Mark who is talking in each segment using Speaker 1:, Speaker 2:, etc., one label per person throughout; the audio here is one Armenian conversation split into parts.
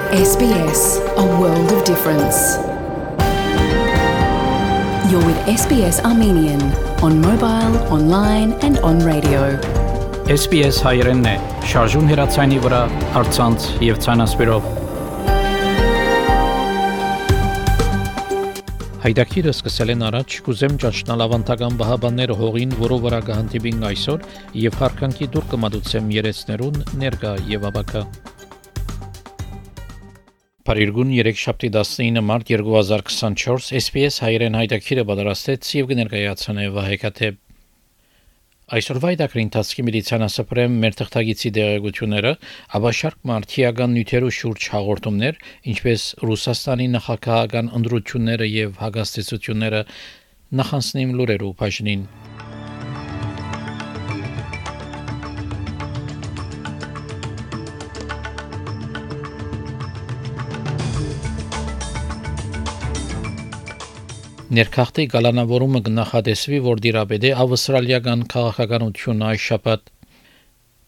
Speaker 1: SBS, a world of difference. You're with SBS Armenian on mobile, online and on radio.
Speaker 2: SBS հայերենն է, շարժուն հեռացայինի վրա, առցանց եւ ցանասպիրով։ Հայդակիրը սկսել են առաջ, կուզեմ ճաշնալ ավանդական բահաբանները հողին, որով վրա կհանդիպին այսօր եւ հարկանքի դուր կմատուցեմ երեցներուն ներկա եւ աբակա։ Փարիգուն 3-7 մարտ 2024 SBS հայերեն հայդակիրը պատրաստեց եւ կներկայացնե Վահեկաթե։ Այսօրվա հայդակրի ընթացքի միլիցիանասպրեմ մեր թղթագիտի դերակցությունները, ավաշարկ մարդիական նյութերու շուրջ հաղորդումներ, ինչպես Ռուսաստանի նախագահական ընդրությունները եւ հագաստեցությունները նախանցնիմ լուրերու բաժնին։ Ներքախտի գալանավորումը կնախադեсվի, որ դիրապետե ավստրալիական քաղաքականությունը այս շաբաթ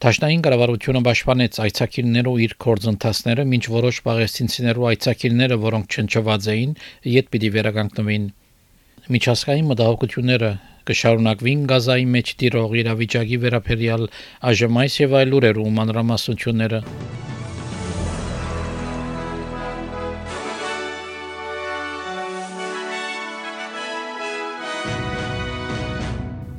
Speaker 2: Դաշնային կառավարությունը պաշտպանեց այցակիցներու իր կորձընթացները, մինչ որոշ պաղեստինցիներու այցակիցները, որոնք չնչված էին, իդ պիտի վերականգնվին։ Միջազգային մտահոգությունները կշարունակվին Գազայի մեջ տիրող իրավիճակի վերաբերյալ այժմ այս եւ այլ լուրերու մանրամասնությունները։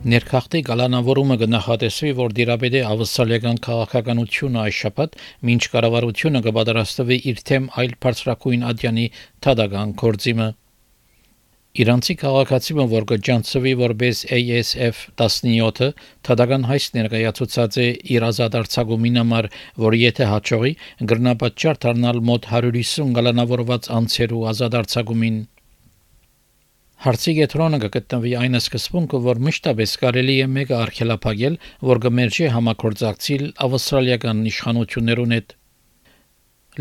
Speaker 2: Ներքախտի գալանավորումը կնախադեсվի, որ դիրապետե ավստրալիական քաղաքականությունը այս շաբաթ, մինչ կառավարությունը կպատրաստվի իր թեմ այլ բարձրակույն ադյանի թադական կորձիմը։ Իրանցի քաղաքացիը, որ կջանցվի որպես ASF 17-ը, թադական հայց ներկայացուցած է իր ազատարձակումին համար, որ եթե հաջողի, գրնապատճառ դառնալ մոտ 150 գալանավորված անձերու ազատարձակումին։ Հարցի կենտրոնը կգտնվի այն սկզբունքը, որ մշտապես կարելի է մեկը արգելափակել, որ կմերժի համագործակցել ավստրալիական իշխանություններուն հետ։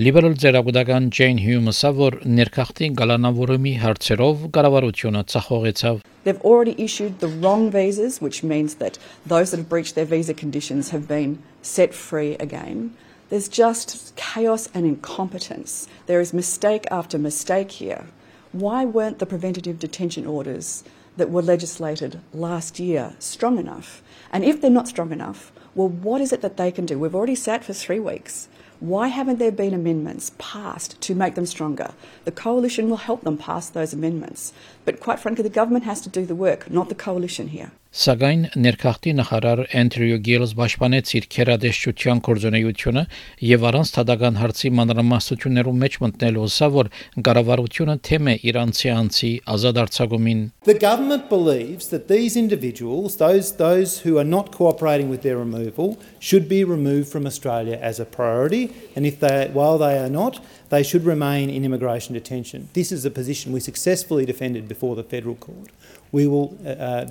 Speaker 2: Լիբերալ ձեռագուտական Ջեյն Հյումսը, որ ներքախտի գալանավորումի հարցերով կառավարությունը ցախողեցավ։
Speaker 3: They've already issued the wrong visas, which means that those that have breached their visa conditions have been set free again. There's just chaos and incompetence. There is mistake after mistake here. Why weren't the preventative detention orders that were legislated last year strong enough? And if they're not strong enough, well, what is it that they can do? We've already sat for 3 weeks. Why haven't there been amendments passed to make them stronger? The coalition will help them pass those amendments. But quite frankly, the government has to do the work, not the coalition here.
Speaker 2: Սակայն ներքախտի նախարար Էնդրյու Գիլս պաշտպանեց իր քերադեշչության կորձունեությունը եւ առանց թադական հարցի մանրամասնություններու մեջ մտնելու սա որ կառավարությունը թեմ է իրանցի անձի ազատարձակումին.
Speaker 4: The government believes that these individuals, those who are not cooperating with their removal, should be removed from Australia as a priority, and while they are not, they should remain in immigration detention. This is a position we successfully defended before the federal court. We will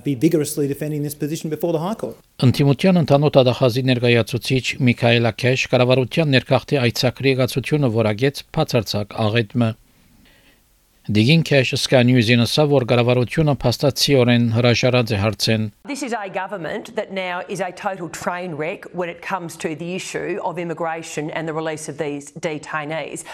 Speaker 4: be vigorously defending this position before the High Court.
Speaker 2: Ընտիմության ընդհանուր դատախազի ներկայացուցիչ Միքայելա Քեշ կառավարության ներքախտի այցակրի գացությունը որակեց բացարձակ աղետմը։ Դիգին Քեշ Sky News-ին ասա, որ կառավարությունը փաստացիորեն հրաժարած է հարցեն։
Speaker 5: This is a government that now is a total train wreck when it comes to the issue of immigration and the release of these detainees.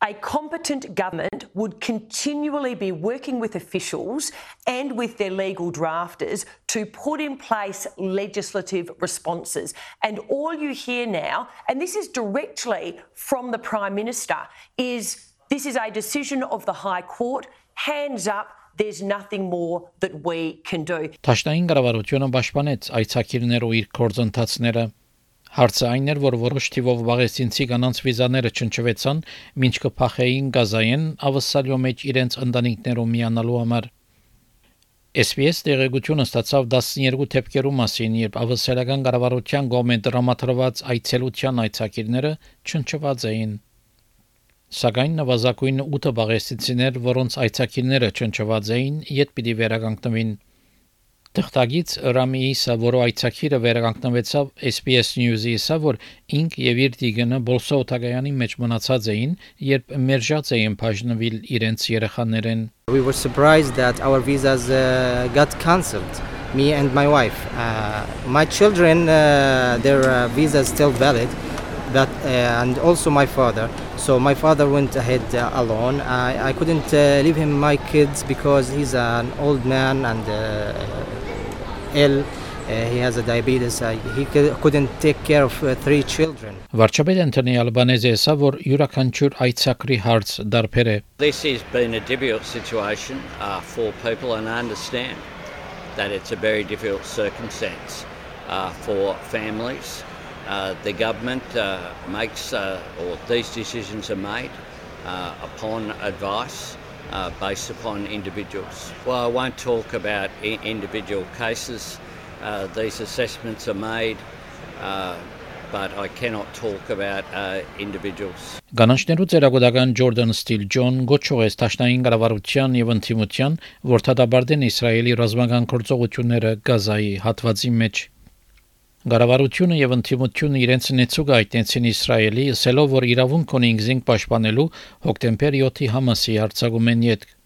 Speaker 5: A competent government would continually be working with officials and with their legal drafters to put in place legislative responses. And all you hear now, and this is directly from the Prime Minister, is this is a decision of the High Court, hands up, there's nothing more that we can do.
Speaker 2: Դաշնային կառավարությունը պաշտպանեց այցակիրներու իր կորձընթացները։ Հարցը այն էր, որ որոշ թիվով պաղեստինցի կանանց վիզաները չնչվեցան, մինչ կփախեին Գազայեն ավսալյո մեջ իրենց ընտանիքներով միանալու համար։ SBS դերակցությունը ստացավ 12 թեփքերու մասին, երբ ավսալական կառավարության կողմից դրամատրված այցելության այցակիրները չնչված էին։ Սակայն նվազագույն 8 պաղեստինցիներ, որոնց այցակիրները չնչված էին, իդ պիտի վերականգնվին։ Թղթագից Ռամի Իսա, որը այցակիրը վերականգնվեցավ SBS News-ի, ասա, որ ինք եւ իր դիգանը Բոլսոթագայանի մեջ մնացած էին, երբ մերժած էին բաժնվել իրենց երեխաներեն։
Speaker 6: We were surprised that our visas got cancelled, me and my wife. My children, their visa is still valid. and also my father. So my father went ahead alone. I couldn't leave him my kids because he's an old man and ill. He has a diabetes. He couldn't take care of 3 children.
Speaker 2: Վարչապետ Անտոնի Ալբանեզը ասա, որ յուրաքանչյուր այցակրի հարց դարբեր է։
Speaker 7: This has been a difficult situation for people, and I understand that it's a very difficult circumstance for families. The government makes, or these decisions are made upon advice based upon individuals. Well, I won't talk about individual cases. These assessments are made, but I cannot talk about individuals.
Speaker 2: Գանաչներու ծերագուտական Ջորդան Սթիլ Ջոն գոչող է Տաշնային կառավարության եւ ընդդիմության, որ դատաբարտեն Իսրայելի ռազմական գործողությունները Գազայի հատվածի մեջ։ Կառավարությունը եւ ընդդիմությունը իրենց նեցուկ այտենցին Իսրայելի, ասելով, որ իրավունք ունի ինքզին պաշտպանելու հոկտեմբեր 7-ի Համասի հարձակումեն յետք։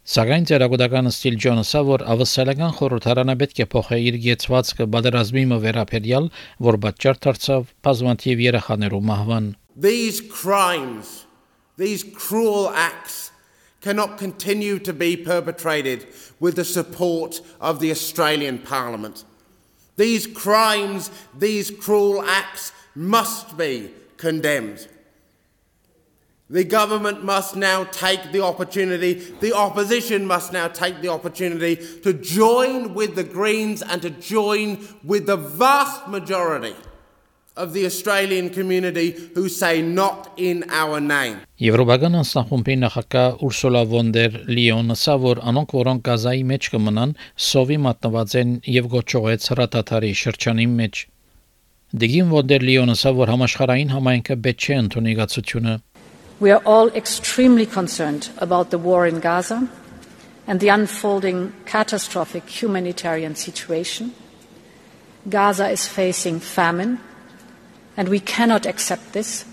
Speaker 2: Սակայն ծերագուտական Սթիլ Ջոնը ասա, որ ավսալական խորհրդարանը պետք է փոխի իր գեցվածքը բادرազմի վերաբերյալ, որ պատճառ դարձավ բազմաթիվ երեխաներու մահվան։
Speaker 8: These crimes, these cruel acts cannot continue to be perpetrated with the support of the Australian Parliament. These crimes, these cruel acts must be condemned. The government must now take the opportunity, the opposition must now take the opportunity to join with the Greens and to join with the vast majority of the Australian community who say not in our name.
Speaker 2: Եվրոպական անձնախումբի նախագահ Ուրսուլա վոն դեր Լիոնը ասա, որ անոնք, որոնք Գազայի մեջ կմնան, սովի մատնված են եւ գոչողեց հրատատարի շրջանի մեջ։ Դեգին վոն դեր Լիոնը ասա, որ համաշխարհային համայնքը պետք չէ ընդունի գացությունը։
Speaker 9: We are all extremely concerned about the war in Gaza and the unfolding catastrophic humanitarian situation. Gaza is facing famine, and we cannot accept this.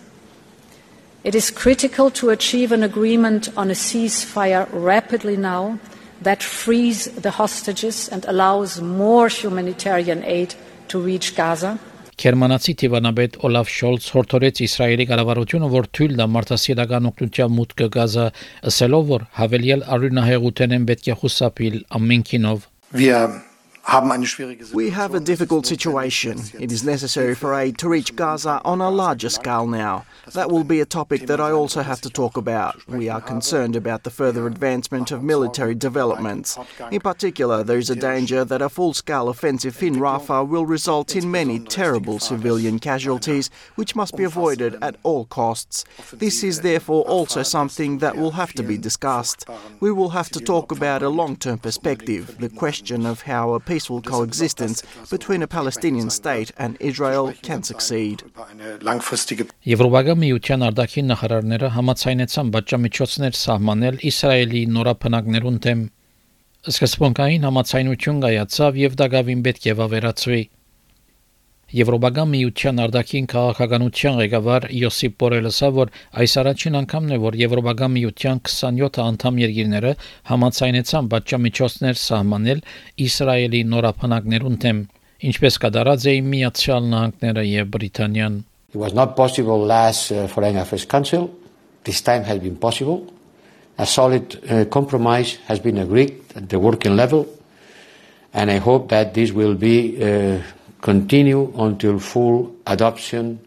Speaker 9: It is critical to achieve an agreement on a ceasefire rapidly now that frees the hostages and allows more humanitarian aid to reach Gaza.
Speaker 2: Գերմանացի Տիվանաբեդ Օլաֆ Շոլց հորդորեց Իսրայելի կառավարությունը, որ թույլ տա մարդասիրական օգնության մուտքը Գազա, ասելով, որ հավելյալ արյունահեղության են պետք է խուսափել ամենքինով։
Speaker 10: We have a difficult situation. It is necessary for aid to reach Gaza on a larger scale now. That will be a topic that I also have to talk about. We are concerned about the further advancement of military developments. In particular, there is a danger that a full-scale offensive in Rafah will result in many terrible civilian casualties, which must be avoided at all costs. This is therefore also something that will have to be discussed. We will have to talk about a long-term perspective, the question of how a peaceful coexistence between a Palestinian state and Israel can succeed.
Speaker 2: Եվրոպական միության արտաքին նախարարները համաձայնեցան բաժամիջոցներ սահմանել Իսրայելի նորապնակներուն դեմ։ Սկզբունքային համաձայնություն կայացավ եւ դակավին պետք է վավերացվի։ Եվրոպական միության արտաքին քաղաքականության ղեկավար Յոսիփ Բորելը ասա, որ այս առաջին անգամն է, որ Եվրոպական միության 27 անդամ երկիրները համաձայնեցան բաժամիջոցներ սահմանել Իսրայելի նորապնակներուն դեմ, ինչպես կատարած էին Միացյալ Նահանգները եւ Բրիտանիան։
Speaker 11: It was not possible last Foreign Affairs Council. This time has been possible. A solid compromise has been agreed at the working level, and I hope that this will be continue until full adoption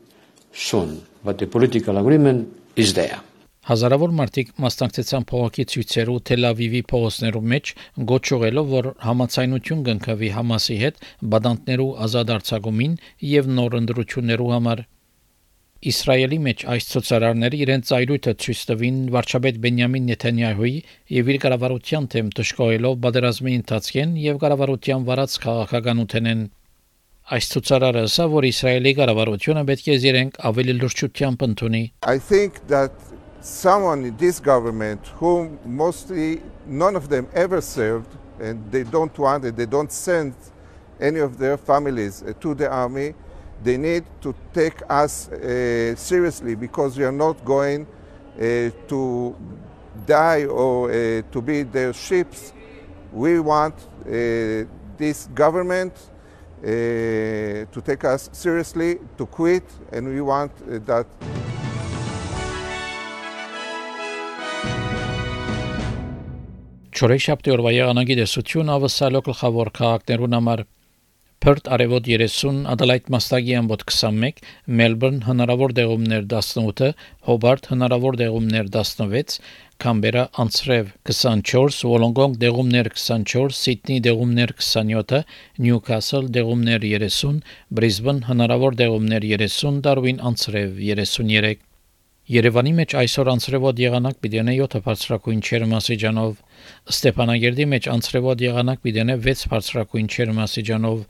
Speaker 11: soon. But the political agreement is there.
Speaker 2: Հազարավոր մարդիկ մասնակցեցան փողոքի ցույցերու Թել Ավիվի փողոցներու մեջ, գոչողելով, որ համաձայնություն կնքվի Համասի հետ բադանտներու ազատ արձակումին եւ նոր ընդրություններու համար։ Իսրայելի մեջ այս ցուցարարները իրենց ծայրույթը ցույց տվին վարչապետ Բենյամին Նեթանյահուի եւ իր կառավարության դեմ դժգոհելով բادرազմի ընթացքեն եւ կառավարության վարած քաղաքականութենեն։ Այս ցուցարարը ասա, որ Իսրայելի կառավարությունը պետք է իրենք ավելի լրջությամբ ընդունի։
Speaker 12: I think that someone in this government whom mostly none of them ever served and they don't want it, they don't send any of their families to the army, they need to take us seriously because we are not going to die or to be their ships. We want this government to take us seriously, to quit, and we want that.
Speaker 2: Չորեքշաբթի օրվա եղանակի դեսություն ավսալո գլխավոր քաղաքներուն համար Perth արևոտ 30, Adelaide մաստագի ամբոտ 21, Melbourne հնարավոր դեղումներ 18, Hobart հնարավոր դեղումներ 16, Canberra անցրև 24, Wollongong դեղումներ 24, Sydney դեղումներ 27, Newcastle դեղումներ 30, Brisbane հնարավոր դեղումներ 30, Darwin անցրև 33 Երևանի մեջ այսօր անցրևոտ եղանակ պիտենե 7 բարձրակույն չերմասիջանով, Ստեփանագերդի մեջ անցրևոտ եղանակ պիտենե 6 բարձրակույն չերմասիջանով,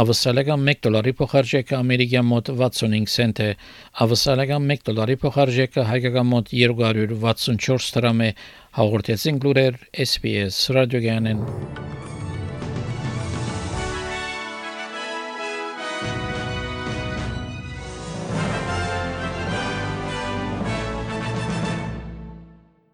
Speaker 2: ավսալական $1 փոխարժեքը ամերիկյան մոտ 65 سنت է, ավսալական $1 փոխարժեքը հայկական մոտ 264 դրամ է, հաղորդեցին լուրեր SPS ռադիոգյանեն